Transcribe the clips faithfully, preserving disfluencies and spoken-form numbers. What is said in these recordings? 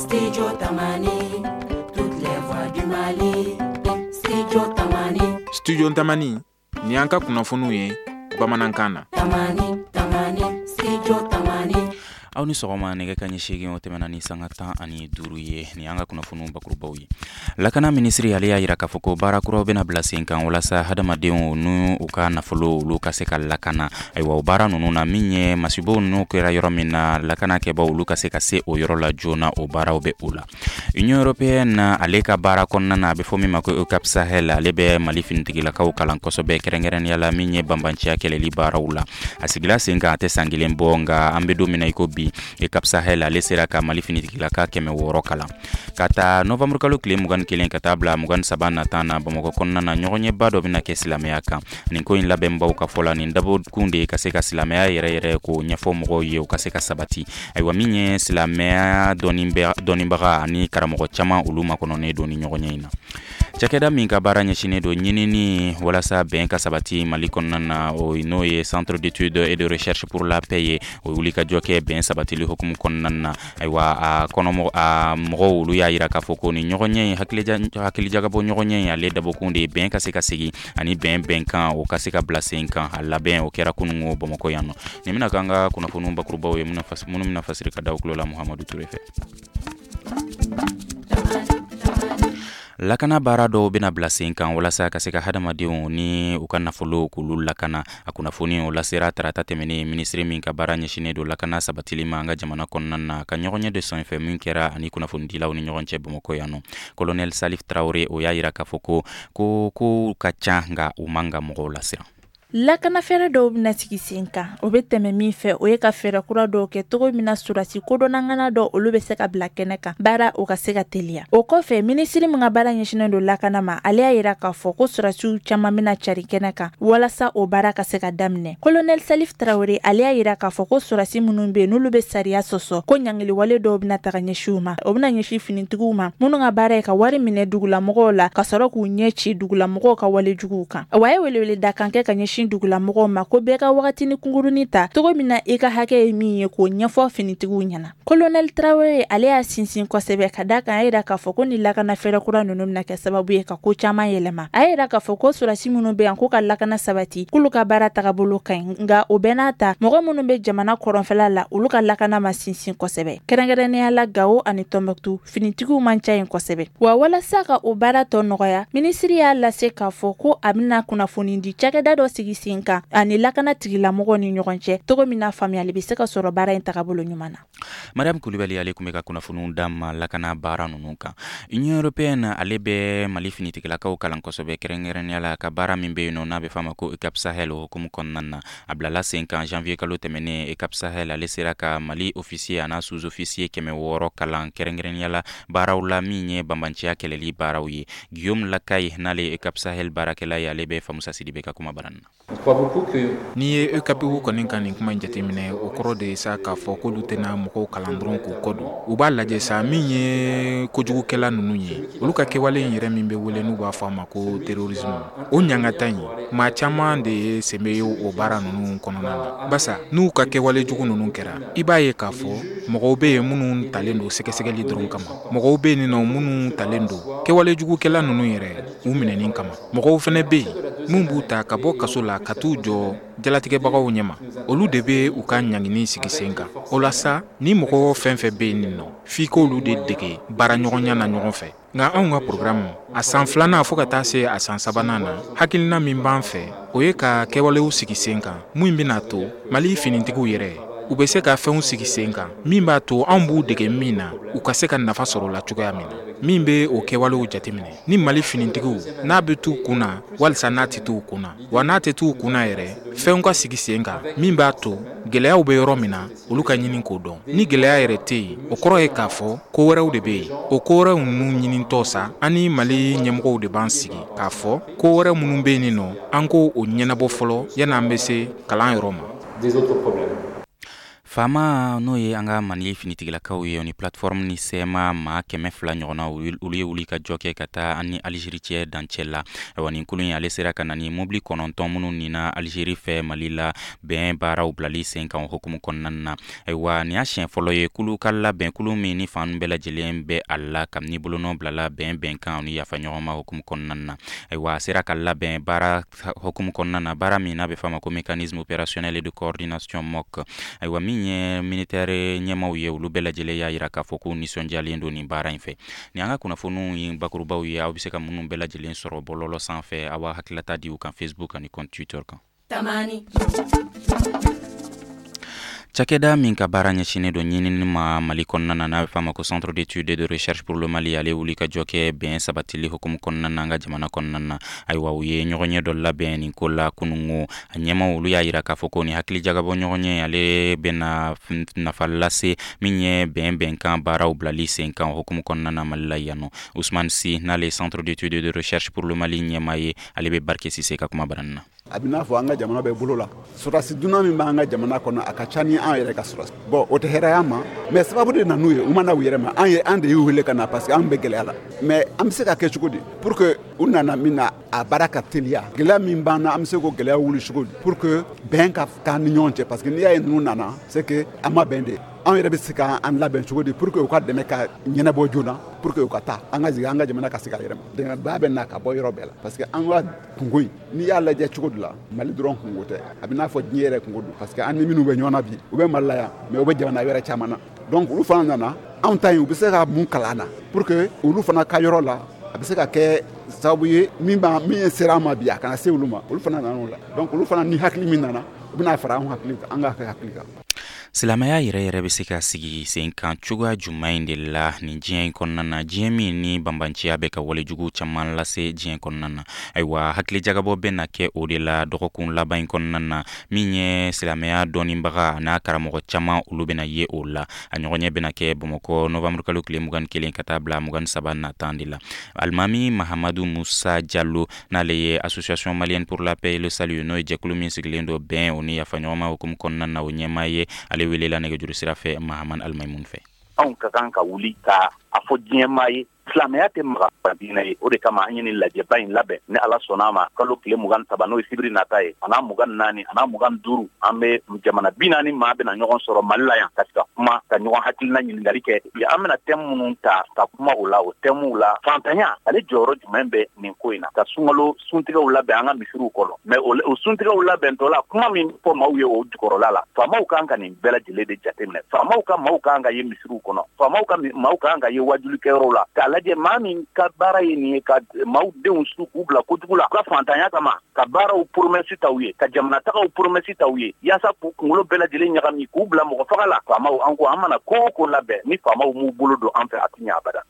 Studio Tamani, toutes les voix du Mali. Studio Tamani. Studio Tamani, ni an ka kunnafoniw ye bamanankan na. Tamani, Tamani, Studio Tamani. Aw ni sɔgɔma. Nɛgɛ ka ɲɛ seegin, o tɛmɛna ni sanga tan ani duuru ye. Ni an ka kunnafoniw bakurubaw ye. Lakana minisiri, ale y'a yira k'a fɔ ko baara kuraw bɛna bila sen kan walasa hadamadenw n'u u ka nafolo, olu ka se ka lakana. Ayiwa, o baara ninnu na, min ye masibow ninnu kɛra yɔrɔ min na, lakana kɛbaw, olu ka se ka se o yɔrɔ la joona, o baaraw bɛ o la. Union européenne, ale ka baara kɔnɔna na, a bɛ fɔ min ma ko EUCAP Sahel, ale bɛ Mali finitigilakaw kalan kosɛbɛ, kɛrɛnkɛrɛnnenya la min ye banbanciya kɛlɛli baaraw la. A sigila sen kan, a tɛ san kelen bɔ, nka an bɛ don min na i ko bi, EUCAP Sahel, ale sera ka Mali finitigilaka kɛmɛ wɔɔrɔ kalan. Ka taa novanburu kalo tile mugan kelen ka taa bila mugan saba nata na, Bamakɔ kɔnɔna na, ɲɔgɔnɲɛba dɔ bɛna kɛ silamɛya kan. Nin ko in labɛnbaw ka fɔ la, nin dabɔkun de ye ka se ka silamɛya yɛrɛ yɛrɛ k'o ɲɛfɔ mɔgɔw ye, o ka se ka sabati. Ayiwa, min ye silamɛya dɔnnibaga ani karamɔgɔ caman, olu makɔnɔnen don ni ɲɔgɔnɲɛ in na. Cakɛda min ka baara ɲɛsinnen don ɲinini walasa bɛn ka sabati Mali kɔnɔna na, o n'o ye Centre d'études et de recherche pour la paix ye, o wuli ka jɔ kɛ bɛn sabatili hukumu kɔnɔna na. Ayiwa, a kɔnɔ a mɔgɔw, olu y'a yira k'a fɔ ko ni ɲɔgɔnɲɛ in, hakilijagabɔ ɲɔgɔnɲɛ in, ale dabɔkun de ye bɛn ka se ka segin ani bɛn bɛnkan, o ka se ka bila sen kan. A labɛn, o kɛra kunungo Bamakɔ yan nɔ. Nin bɛna k'an ka kunnafoniw bakurubaw ye, minnu bɛna fasiri ka da tulo la Muhamadu Ture fɛ. Lakana baara dɔw bɛna bila sen kan walasa ka se ka hadamadenw ni u ka nafolo, k'olu lakana. A kunnafoni, o lasera tarata tɛmɛnen, minisiri min ka baara ɲɛsinnen don lakana sabatili ma an ka jamana kɔnɔna na, ka ɲɔgɔnɲɛ de senfɛ min kɛra ani kunnafonidilaw ni ɲɔgɔn cɛ Bamakɔ yan nɔ. Colonel Salif Traoré, o y'a yira k'a fɔ ko ko kow ka ca, nka u man ka mɔgɔw lasiran. Lakana fɛɛrɛ dɔw bɛna sigi sen kan. O bɛ tɛmɛ min fɛ, o ye ka fɛɛrɛ kura dɔw kɛ cogo min na sɔrɔdasi kodɔnnangana dɔw, olu bɛ se ka bila kɛnɛ kan, baara o ka se ka teliya. O kɔfɛ, minisiri min ka baara ɲɛsinnen don lakana ma, ale y'a yira k'a fɔ ko sɔrɔdasiw caman bɛna cari kɛnɛ kan walasa o baara ka se ka daminɛ. Colonel Salif Traoré, ale y'a yira k'a fɔ ko sɔrɔdasi minnu bɛ yen, n'olu bɛ sariya sɔsɔ, ko ɲangiliwale dɔw bɛna taga ɲɛsin u ma. O bɛna ɲɛsin finitigiw ma minnu ka baara ye ka wari minɛ dugulamɔgɔw la, ka sɔrɔ k'u ɲɛ ci dugulamɔgɔw ka wale juguw kan. Wa a ye welewele da kan kɛ ka ɲɛsin dugulamɔgɔw ma ko bɛɛ ka wagatini kunkurunin ta, cogo min na i ka hakɛ ye min ye, k'o ɲɛfɔ finitigiw ɲɛna. Colonel Traoré, ale y'a sinsin kosɛbɛ ka da kan, a yira k'a fɔ ko ni lakana fɛɛrɛ kura ninnu bɛna kɛ sababu ye ka ko caman yɛlɛma. A yira k'a fɔ ko sɔrɔdasi minnu bɛ yan k'u ka lakana sabati, k'olu ka baara tagabolo ka ɲi, nka o bɛɛ n'a ta, mɔgɔ minnu bɛ jamana kɔrɔnfɛla la, olu ka lakana ma sinsin kosɛbɛ, kɛrɛnkɛrɛnnenya la Gawo ani Tɔnbɔkutu, finitigiw man ca yen kosɛbɛ. Wa walasa ka o baara tɔ nɔgɔya, minisiri y'a lase k'a fɔ ko a bɛna kunnafoni di cakɛda dɔ sigi sen kan ani lakana tigilamɔgɔw ni ɲɔgɔn cɛ, cogo min na faamuyali bɛ se ka sɔrɔ baara in tagabolo ɲuman na. Mariam Kulibali, ale tun bɛ ka kunnafoniw d'an ma lakana baara ninnu kan. Union européenne, ale bɛ Mali finitigilakaw kalan kosɛbɛ, kɛrɛnkɛrɛnnenya la ka baara min bɛ yen nɔ, n'a bɛ f'a ma ko EUCAP Sahel, o hukumu kɔnɔna na. A bilala sen kan janvier kalo tɛmɛnen. EUCAP Sahel, ale sera ka Mali officier an'a sous-officier kɛmɛ wɔɔrɔ kalan, kɛrɛnkɛrɛnnenya la baaraw la min ye banbanciya kɛlɛli baaraw ye. Guillaume Lakaye, n'ale ye EUCAP Sahel baarakɛla ye, ale bɛ Famusa Sidibe ka kuma bara na. N'i ye EUCAP kɔni ka nin kuma in jateminɛ, o kɔrɔ de ye sa k'a fɔ k'olu tɛna mɔgɔw kalan dɔrɔn k'u kɔ don. U b'a lajɛ sa, min ye kojugukɛla ninnu ye, olu ka kɛwale in yɛrɛ min bɛ wele n'u b'a fɔ a ma ko terrorisme, o ɲangata in, maa caman de ye sen bɛ o baara ninnu kɔnɔna na. Basa n'u ka kɛwale jugu ninnu kɛra, i b'a ye k'a fɔ mɔgɔw bɛ yen minnu talen don sɛgɛsɛgɛli dɔrɔn kama, mɔgɔw bɛ yen nɔ minnu talen don kɛwale jugukɛla ninnu yɛrɛ u minɛni kama, mɔgɔw fana bɛ yen min b'u ta ka bɔ kaso la ka t'u jɔ jalatigɛbagaw ɲɛma, olu de bɛ u ka ɲangini sigi sen kan. O la sa, ni mɔgɔ fɛn fɛn bɛ yen nɔ, f'i k'olu de dege baara ɲɔgɔnya na ɲɔgɔn fɛ. Nka anw ka programme, a san filanan fo ka taa se a san sabanan na, hakilina min b'an fɛ, o ye ka kɛwalew sigi sen kan min bɛna to Mali finitigiw yɛrɛ, u bɛ se ka fɛnw sigi sen kan min b'a to anw b'u dege min na, u ka se ka nafa sɔrɔ o la cogoya min na. Min bɛ o kɛwalew jateminɛ ni Mali finitigiw, n'a bɛ t'u kun na walisa n'a tɛ t'u kun na, wa n'a tɛ t'u kun na yɛrɛ, fɛnw ka sigi sen kan min b'a to gɛlɛyaw bɛ yɔrɔ min na, olu ka ɲini k'o dɔn. Ni gɛlɛya yɛrɛ tɛ yen, o kɔrɔ ye k'a fɔ ko wɛrɛw de bɛ yen. O ko wɛrɛw ninnu ɲinitɔ sa, an ni Mali ɲɛmɔgɔw de b'an sigi k'a fɔ ko wɛrɛ minnu bɛ yen nɔ, an k'o o ɲɛnabɔ fɔlɔ yanni an bɛ se kalan yɔrɔ ma. Faama, n'o ye an ka Mali finitigilakaw ye, ni plateforme ni C M A maa kɛmɛ fila ɲɔgɔnna, olu ye wuli ka jɔ kɛ ka taa an ni Alizeri cɛ dancɛ la. Ayiwa, nin kulu in ale sera ka na ni mobili kɔnɔntɔn minnu nina Alizeri fɛ Mali la, bɛn baaraw bilali sen kan hukumu kɔnɔna na. Ayiwa, nin y'a siɲɛ fɔlɔ ye kulu ka labɛn, kulu min ni fan bɛɛ lajɛlen bɛ a la kabini bolonɔ bilala bɛn bɛnkan ni yafa ɲɔgɔn ma hukumu kɔnɔna na. Ayiwa, a sera ka labɛn baara hukumu kɔnɔna na, baara min n'a bɛ f'a ma ko Mécanisme opérationnel de coordination, M O C. Ayiwa, min ye militaire ɲɛmaw ye, olu bɛɛ lajɛlen y'a yira k'a fɔ k'u nisɔndiyalen don nin baara in fɛ. Nin an ka kunnafoniw ye bakurubaw ye, aw bɛ se ka minnu bɛɛ lajɛlen sɔrɔ bɔlɔlɔ sanfɛ, aw b'a hakililata di u kan Facebook ani compte Twitter kan. Tamani. Cakɛda min ka baara ɲɛsinnen don ɲinini ma Mali kɔnɔna na, n'a bɛ f'a ma ko Centre d'études et de recherche pour le Mali, ale wuli ka jɔ kɛ bɛn sabatili hukumu kɔnɔna na an ka jamana kɔnɔna na. Ayiwa, u ye ɲɔgɔnye dɔ labɛn nin ko la kunungo. A ɲɛmaw, olu y'a yira k'a fɔ ko nin hakili jagabɔ ɲɔgɔnye, ale bɛna nafa lase min ye bɛn bɛnkan baaraw bilali sen kan hukumu kɔnɔna na Mali la yan nɔ. Ousmane Sy, n'ale Centre d'études et de recherche pour le Mali ɲɛma ye, ale bɛ Barike Sise ka kuma baranin na. A bɛ n'a fɔ an ka jamana bɛ bolo la, sɔrɔdasi dunan min b'an ka jamana kɔnɔ, a ka ca ni an yɛrɛ ka sɔrɔdasi. Bon, o tɛ hɛrɛya ma, mais sababu de nan'u ye, u ma na u yɛrɛ ma. An ye, an de y'u wele ka na parce que an bɛ gɛlɛya la. Mais an bɛ se ka kɛ cogo di pour que u nana min na, a baara ka teliya? Gɛlɛya min b'an na, an bɛ se k'o gɛlɛya wuli cogo di pour que bɛn ka k'an ni ɲɔgɔn cɛ? Parce que n'i y'a ye ninnu nana, c'est que an ma bɛn de. Anw yɛrɛ bɛ se k'an labɛn cogo di pour que u ka dɛmɛ ka ɲɛnabɔ joona, pour que u ka taa, an ka jigin, an ka jamana ka se ka yɛrɛ ma? Dɛmɛba bɛ na ka bɔ yɔrɔ bɛɛ la, parce que an ka kunko in, n'i y'a lajɛ cogo dɔ la, Mali dɔrɔn kunko tɛ, a bɛ n'a fɔ diɲɛ yɛrɛ kunko don, parce que an ni minnu bɛ ɲɔgɔn na bi, u bɛ Mali la yan, mais u bɛ jamana wɛrɛ caman na. Donc olu fana nana anw ta in, u bɛ se ka mun kalan na pour que olu fana ka yɔrɔ la, a bɛ se ka kɛ sababu ye min b'a min sera an ma bi, a kana se olu ma. Olu fana nana o la. Donc olu fana ni hakili min nana, u bɛna fara anw hakili kan, an ka hakili kan. Silamɛya yɛrɛ yɛrɛ bɛ se ka sigi sen kan cogoya jumɛn in de la nin diɲɛ in kɔnɔna na, diɲɛ min ni banbanciya bɛ ka walejugu caman lase diɲɛ kɔnɔna na? Ayiwa, hakilijagabɔ bɛ na kɛ o de la dɔgɔkun laban in kɔnɔna na. Min ye silamɛya dɔnnibaga n'a karamɔgɔ caman, olu bɛna ye o la. A ɲɔgɔnɲɛ bɛna kɛ Bamakɔ novanburu kalo tile mugan kelen ka taa bila mugan saba natan de la. Alimami Mahamadu Musa Jalo, n'ale ye Association malienne pour la paix et le salut, n'o ye jɛkulu min sigilen don bɛn o ni yafaɲɔgɔnma hukumu kɔnɔna na, o ɲɛmaa ye, ale welela nɛgɛjuru sira fɛ Mahaman Alimaimun fɛ. Anw ka kan ka wuli ka a fɔ diɲɛmaa ye, silamɛya tɛ maga diinɛ ye. O de kama an ye nin lajɛba in labɛn. Ni Ala sɔnna a ma, kalo tile mugan saba, n'o ye sibiri nata ye, a n'a mugan naani, a n'a mugan duuru, an bɛ jamana bi naani maa bɛna ɲɔgɔn sɔrɔ Mali la yan ka se ka kuma, ka ɲɔgɔn hakilina ɲininkali kɛ. An bɛna thème minnu ta ka kuma o la, o thème la, fantanya ale jɔyɔrɔ jumɛn bɛ nin ko in na? Ka sunkalo suntigɛw labɛn an ka misiriw kɔnɔ, mais o suntigɛw labɛntɔ la, kuma min fɔ maaw ye o jukɔrɔla la, faamaw kan ka nin bɛɛ lajɛlen de jateminɛ. Faamaw ka maaw kan ka ye misiriw kɔnɔ, faamaw ka maaw kan ka ye wajulikɛyɔrɔw la, k'a lajɛ maa min ka baara ye nin ye, ka maaw denw su k'u bila kojugu la u ka fantanya kama, ka baaraw promesse ta u ye, ka jamana tagaw promesse ta u ye, yaasa k'u kunkolo bɛɛ lajɛlen ɲagami k'u bila mɔgɔ faga la. Faamaw, an ko an mana ko o ko labɛn, ni faamaw m'u bolo don an fɛ, a tɛ ɲɛ abada.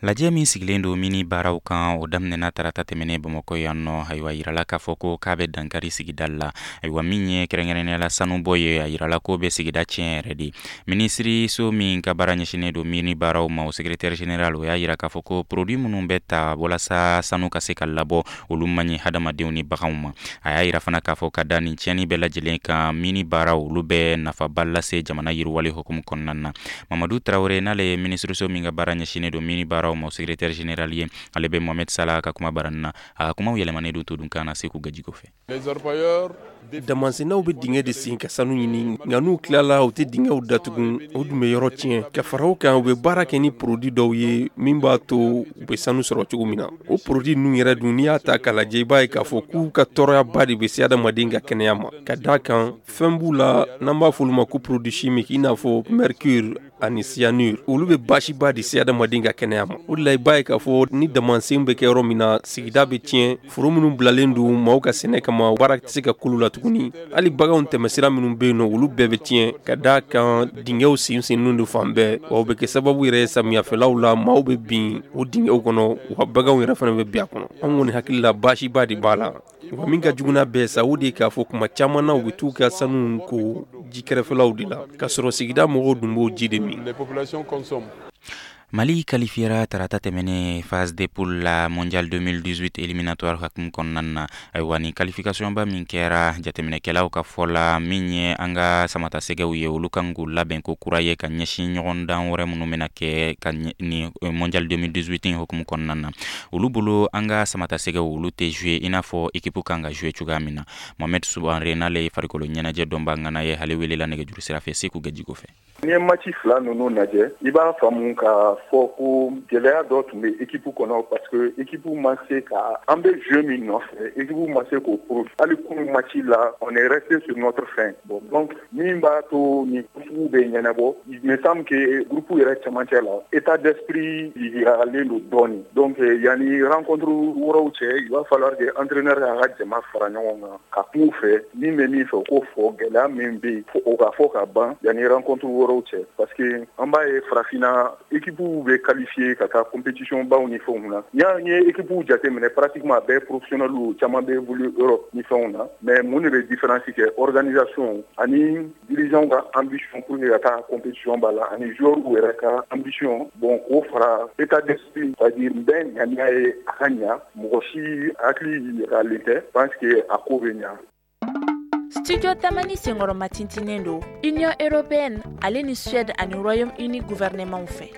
Lajɛ min sigilen don mini baaraw kan, o daminɛna tarata tɛmɛnen Bamakɔ yan nɔ. Ayiwa, yirala k'a fɔ ko k'a bɛ dankari sigida la. Ayiwa, min ye kɛrɛnkɛrɛnnenya la sanubɔ ye, a yirala ko bɛ sigida tiɲɛ yɛrɛ de. Minisiriso min ka baara ɲɛsinnen don mini baaraw ma, o secrétaire général, o y'a yira k'a fɔ ko produit minnu bɛ ta walasa sanu ka se ka labɔ, olu man ɲi hadamadenw ni baganw ma. A y'a yira fana k'a fɔ ka da nin tiɲɛni bɛɛ lajɛlen kan, mini baaraw, olu bɛ nafaba lase jamana yiriwali hukumu kɔnɔna na. Mamadu Tarawele, n'ale ye minisiriso min ka baara ɲɛsinnen don mini baaraw ma, o secrétaire général ye, ale bɛ Mohamed Salah ka kuma baranin na. A ka kumaw yɛlɛmanen don todunkan na Segu Gajigo fɛ. Damansennaw bɛ dingɛ de sen ka sanu ɲini, nka n'u tilala, u tɛ dingɛw datugu, o dun bɛ yɔrɔ tiɲɛ. Ka fara o kan, u bɛ baara kɛ ni produit dɔw ye min b'a to u bɛ sanu sɔrɔ cogo min na. O produit ninnu yɛrɛ dun, n'i y'a ta k'a lajɛ, i b'a ye k'a fɔ k'u ka tɔɔrɔyaba de bɛ se adamaden ka kɛnɛya ma, ka d'a kan fɛn b'u la n'an b'a fɔ olu ma ko produit chimique, i n'a fɔ mercure ani cyanure. Olu bɛ baasiba de se adamaden ka kɛnɛya ma. O de la, i b'a ye k'a fɔ ni damansen bɛ kɛ yɔrɔ min na, sigida bɛ tiɲɛ. Foro minnu bilalen don maaw ka sɛnɛ kama, baara tɛ se ka k'olu la tuguni. Hali baganw tɛmɛsira minnu bɛ yen nɔ, olu bɛɛ bɛ tiɲɛ, ka d'a kan dingɛw sen sennen don fan bɛɛ. Wa o bɛ kɛ sababu yɛrɛ, samiyɛfɛlaw la, maaw bɛ bin o dingɛw kɔnɔ, wa baganw yɛrɛ fana bɛ bin a kɔnɔ. An kɔni hakili la, baasiba de b'a la. Wa min ka jugu n'a bɛɛ sa, o de ye k'a fɔ kuma caman na, u bɛ t'u ka sanu ko ji kɛrɛfɛlaw de la, k'a sɔrɔ sigida mɔgɔw dun b'o ji de min. Mali qualifiera tarata tɛmɛnen phase de poule la Mondial deux mille dix-huit éliminatoire hukumu kɔnɔna na. Ayiwa, ni qualification ba min kɛra, jateminɛkɛlaw ka fɔ la, min ye an ka samatasɛgɛw ye, olu kan k'u labɛn ko kura ye ka ɲɛsin ɲɔgɔndan wɛrɛ minnu bɛna kɛ ka ni Mondial deux mille dix-huit in hukumu kɔnɔna na. Olu bolo, an ka samatasɛgɛw, olu tɛ jouer i n'a fɔ équipe kan ka jouer cogoya min na. Mohamed Soumaré, n'ale ye farikolo ɲɛnajɛ dɔnba ŋana ye, ale welela nɛgɛjuru sira fɛ Seku Gajigo fɛ. N'i ye match fila ninnu lajɛ, i b'a faamu ka fɔ ko gɛlɛya dɔ tun bɛ équipe kɔnɔ, parce que équipe ma se ka an bɛ jeu min nɔfɛ, équipe ma se k'o prouver. Hali kunun match la, on est resté sur notre faim. Bon, donc min b'a to nin sugu bɛ ɲɛnabɔ, il me semble que groupe yɛrɛ cɛmancɛ la, état d'esprit yiralen don dɔɔni. Donc yanni rencontre wɛrɛw cɛ, il va falloir que entraîneur k'a ka jama fara ɲɔgɔn kan ka kuma u fɛ, min bɛ min fɛ o k'o fɔ, gɛlɛya min bɛ yen o ka fɔ ka ban yanni rencontre wɛrɛw cɛ, parce que an b'a ye farafinna équipe bɛ qualifié ka taa compétition baw ni fɛnw na. N'i y'a ye équipe jateminɛ, pratiquement a bɛɛ professionnel, caman bɛ évoluer Europe ni fɛnw na. Mais mun de bɛ différence kɛ? Organisation ani dirigeant ka ambition pour que ka taa compétition ba la, ani joueur yɛrɛ ka ambition. Bon, k'o fara état d'esprit, c'est à dire bɛɛ ŋaniya ye a ka ɲa, mɔgɔ si hakili yiralen tɛ, pense que a ko bɛ ɲa. Studio Tamani senkɔrɔma tintinen don Union européenne ale ni Suède ani Royaume-Uni gouvernement fɛ.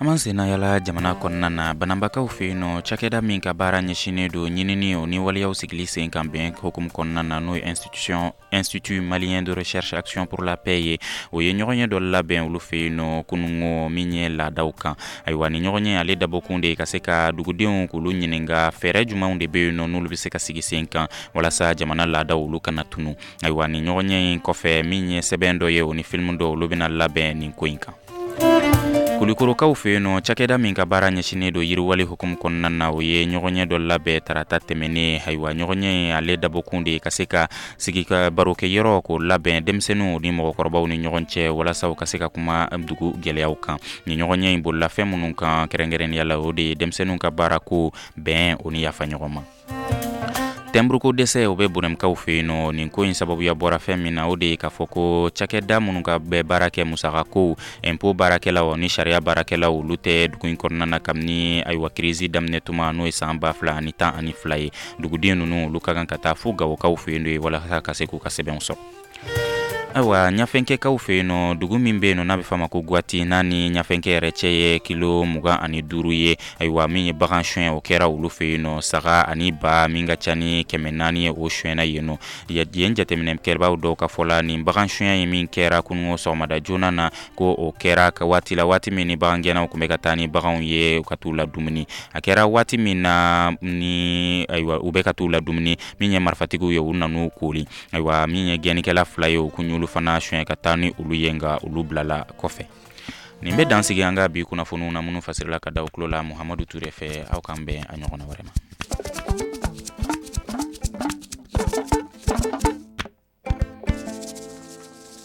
An b'an senna yala jamana kɔnɔna na, Bananbakaw fɛ yen nɔ, cakɛda min ka baara ɲɛsinnen don ɲinini o ni waleyaw sigili sen kan bɛn hukumu kɔnɔna na, n'o ye institution Institut malien de recherche action pour la paix ye, o ye ɲɔgɔn ye dɔ labɛn olu fɛ yen nɔ kunungo, min ye laadaw kan. Ayiwa, ni ɲɔgɔn ye, ale dabɔkun de ye ka se ka dugudenw k'olu ɲininka fɛɛrɛ jumɛnw de bɛ yen nɔ n'olu bɛ se ka sigi sen kan walasa jamana laadaw olu kana tunu. Ayiwa, ni ɲɔgɔn ye in kɔfɛ, min ye sɛbɛn dɔ ye, o ni film dɔ, olu bɛna labɛn nin ko in kan. Kulikorokaw fɛ yen nɔ, cakɛda min ka baara ɲɛsinnen don yiriwali hukumu kɔnɔna na, o ye ɲɔgɔn ye dɔ labɛn tarata tɛmɛnen. Ayiwa, ɲɔgɔn ye, ale dabɔkun de ye ka se ka sigi ka barokɛyɔrɔ k'o labɛn denmisɛnninw ni mɔgɔkɔrɔbaw ni ɲɔgɔn cɛ, walasa u ka se ka kuma dugu gɛlɛyaw kan. Ni ɲɔgɔn ye in bolila fɛn minnu kan kɛrɛnkɛrɛnnenya la, o de ye denmisɛnninw ka baarako, bɛn o ni yafa ɲɔgɔn ma. Tɛnburuko dɛsɛ, o bɛ Bonɛmkaw fɛ yen nɔ. Nin ko in sababuya bɔra fɛn min na, o de ye k'a fɔ ko cakɛda minnu ka bɛɛ baara kɛ musakako, impôt baarakɛlaw ni sariya baarakɛlaw, olu tɛ dugu in kɔnɔna na kabini ayiwa crise daminɛ tuma, n'o ye san ba fila ani tan ani fila ye. Duguden ninnu, olu ka kan ka taa fo Gawokaw fɛ yen walasa ka se k'u ka sɛbɛnw sɔrɔ. Ayiwa, Ɲafɛnkɛkaw fɛ yen nɔ, dugu min bɛ yen nɔ n'a bɛ f'a ma ko Gwati, n'a ni Ɲafɛnkɛ yɛrɛ cɛ ye kilo mugan ani duuru ye, ayiwa, min ye bagan suɲɛ, o kɛra olu fɛ yen nɔ. Saga ani ba min ka ca ni kɛmɛ naani ye, o suɲɛna yen nɔ. Yen jateminɛkɛbaw dɔw ka fɔ la, nin bagan suɲɛ ye min kɛra kununko sɔgɔmada joona na, ko o kɛra ka waati la, waati min ni bagangɛnnaw tun bɛ ka taa ni baganw ye u ka t'u la dumuni. A kɛra waati min na ni ayiwa u bɛ ka t'u la dumuni, min ye marifatigiw ye, u nan'u kori. Ayiwa, min ye gɛnnikɛla fila ye, u kun y'olu fana suɲɛ ka taa ni olu ye, nka olu bilala kɔfɛ. Nin bɛ dan sigi an ka bi kunnafoniw na, minnu fasirila ka da u tulo la Muhamadu Ture fɛ. Aw k'an bɛn a ɲɔgɔnna wɛrɛ ma.